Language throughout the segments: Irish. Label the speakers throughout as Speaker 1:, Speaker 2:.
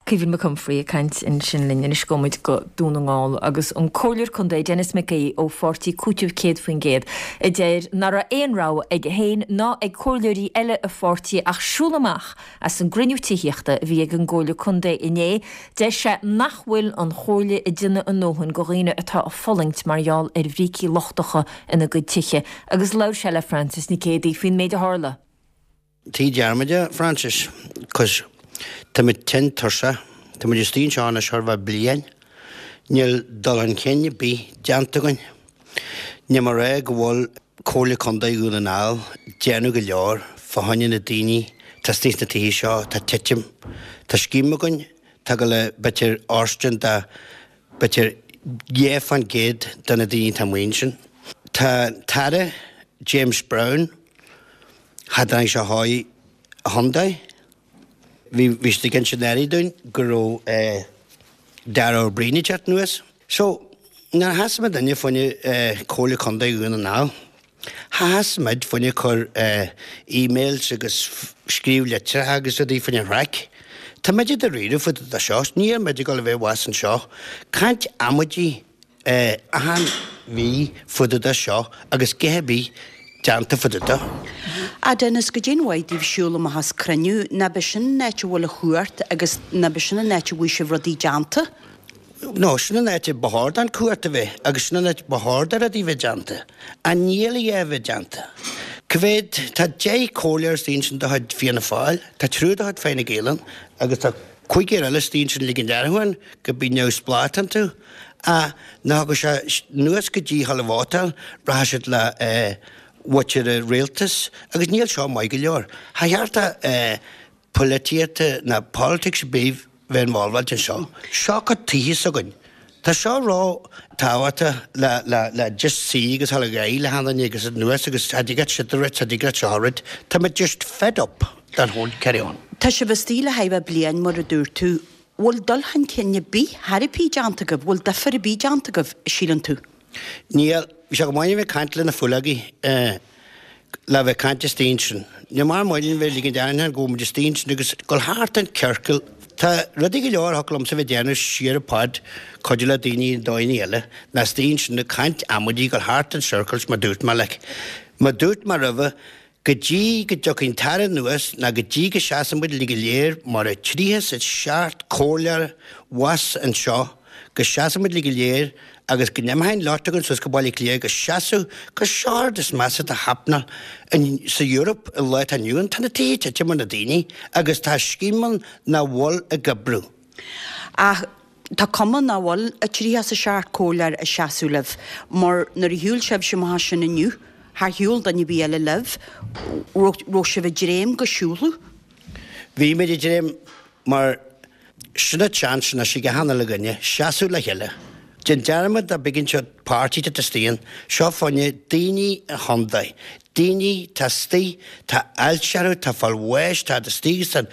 Speaker 1: Caoimhín Mac Humphrey ag caint ansin linn. Anois gabhfaidh muid go Dún na nGall agus an Comhairleoir Contae Denis McGee ó pháirtí Cúiteamh 100% a deir nach raibh aon rogha aige féin ná ag comhairleoirí eile a pháirtí ach siúl amach as an gcruinniú tithíochta a bhí ag an gComhairle Contae inné. Deir sé nach bhfuil an Chomhairle ag déanamh a ndóthain go dhaoine atá ag fulaingt mar gheall ar bhrící lochtacha ina gcuid tithe agus labhair sé le Frances Nic Géadaigh faoin méid a tharla.
Speaker 2: Tigh dearmad a Frances, 'cause táimid tinn tuirseach, táimid istigh anseo anois chóir a bheith bliain, níl dul chun cinn ar bith déanta againn. Níl mé ag rá go bhfuil Comhairle Contae Dhún na nGall déanamh go leor fá choinne na daoine atá istigh sna tithe seo atá ag titim. Tá scéim againn atá ag dul le b'fhéidir fhóirstean do b'fhéidir 2% de na daoine atá amuigh ansin. Tá an tAire James Browne, Cha dtáinig sé chuig an chontae. Bhí bhí siad ag insint anuraidh dúinn go raibh Darragh O'Brien ag teacht anuas. So, nuair a sheas muidinne fá choinne Comhairle Contae Dhún na nGall, sheas muid fá choinne cur emails agus scríobh litreacha agus rudaí fá choinne raic. Tá muid i dáiríre fá dtaobh de seo. Níl muid ag dul a bheith abhus anseo. Caint amaidí achan mhí fá dtaobh de seo agus a dhath ar bith déanta fá dtaobh de.
Speaker 3: A Dennis, goidé'n mhaith daoibh siúl amach as cruinniú, ná b'é sin an áit a bhfuil an chumhacht agus ná b'é sin an áit a bhfuil sibh rudaí déanta?
Speaker 2: No, sin an áit a ba chóir don chumhacht a bheith agus sin an áit ba chóir do rudaí bheith déanta. Ach níl a dhath a bheith déanta. Cá mhéad, tá 10 comhairleoir istigh ansin de chuid Fianna Fáil, tá triúr de chuid Fine Gael ann agus tá cúigear eile istigh ansin ag ligean dearmad ann go bíonn neamhspleách iontu. Ach nuair a thiocfaidh sé anuas go dtí dhul a vótáil, rachaidh siad le muintir an rialtais agus níl seo maith go leor. Cha cheart do polaitíocht ná politics ar bith bheith involved anseo. Seo cuid tithe s'againn. Tá seo ró tábhachtach le le le just suí agus dhul ag aghaidh le haon duine agus anuas agus cha dtig leat siúd a rith, cha dtig leat seo a rith. Tá muid just fed up den whole carry on.
Speaker 3: Tá sibh istigh le chóir a bheith bliain mar a dúirt tú. Bhfuil dul chun cinn ar bith, chor ar bith déanta agaibh? Bhfuil difear ar bith déanta agaibh, síleann tú?
Speaker 2: Níl. Bhí sé go maith a bheith ag caint le na fuileogaí, le bheith ag caint istigh ansin. Níl mar maith linn bheith ag ligean d'aithne go bhfuil muid istigh ansin agus dul thart an ciorcal. Tá rudaí go leor a thiocfadh liomsa bheith ag déanamh siar an pod, cuidiú le daoine i dóigheanna eile, ná istigh ansin ag caint amaidí, dul thart in circles mar dúirt mé like. Mar dúirt mé roimhe, Go dtí go dtiocfaidh an tAire anuas ná go dtí go seasann muid uilig go léir mar a 37 comhairleoir abhus anseo, go seasann muid uilig go léir agus go n-imtheoidh an lot againn suas go Baile Átha Cliath go seasamh gur seo an rud is measa atá happenáil sa Europe an lá atá inniu ann. Tá na tithe ag titim ar na daoine agus tá scéim ann nach bhfuil ag oibriú.
Speaker 3: Ach Tá cuma nach bhfuil a 37 comhairleoir ag seasamh libh, mar nuair a shiúil sibhse amach as sin inniu, char shiúil duine ar bith eile libh, raibh sibh ag dréim go siúlfadh?
Speaker 2: Bhí muid ag dréim mar sin an chance anois ag achan uile dhuine seasamh le chéile. Déan dearmad de big an páirtí atá istigh ann, seo fá choinne daoine an chontae, Daoine tá istigh, tá ailse orthu, tá fáil bháis, tá istigh agus tá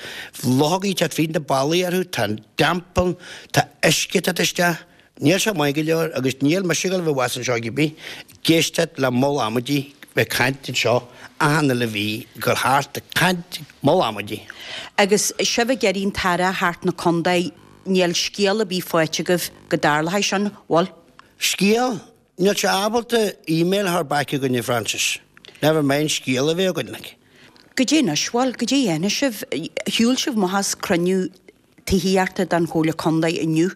Speaker 2: luchógaí ag teacht fríd na ballaí orthu, tá an damp ann, tá uisce ag teacht isteach. Níl sé maith go leor agus níl mise ag dul a bheith abhus anseo ag bith ag éisteacht le moll amaidí bheith ag caint anseo achan uile mhí, ag dul thart ag caint moll amaidí.
Speaker 3: Agus sibh ag iarraidh an tAire a theacht 'na contae, níl scéal ar bith faighte agaibh go dtarlóidh sin, bhfuil?
Speaker 2: Scéal? Níl sé ábalta email a chur back chugainn a Frances. Never mind scéal a bheith againn like.
Speaker 3: Goidé anois, bhuel, goidé a dhéanfaidh sibh? Shiúil sibh amach as cruinniú tithíochta den Chomhairle Contae inniu.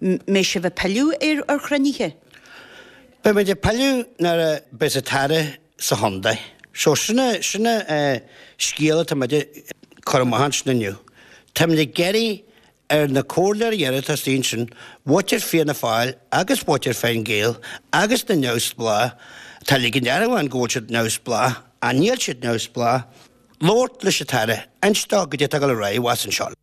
Speaker 3: Mbeidh sibh ag pilleadh ar chruinnithe?
Speaker 2: Beidh muid ag pilleadh nuair a bheas an tAire sa chontae. So sin a, sin a scéal atá muid ag cur amach ansin inniu. Táimid ag iarraidh Ar na comhairleoirí eile atá istigh ansin, muintir Fianna Fáil agus muintir Fine Gael agus na neamhspleách, atá ag ligean dearmad ann go bhfuil siad neamhspleách, ach níl siad neamhspleách, labhairt leis an tAire, inst dó goidé atá ag dul ar aghaidh abhus anseo.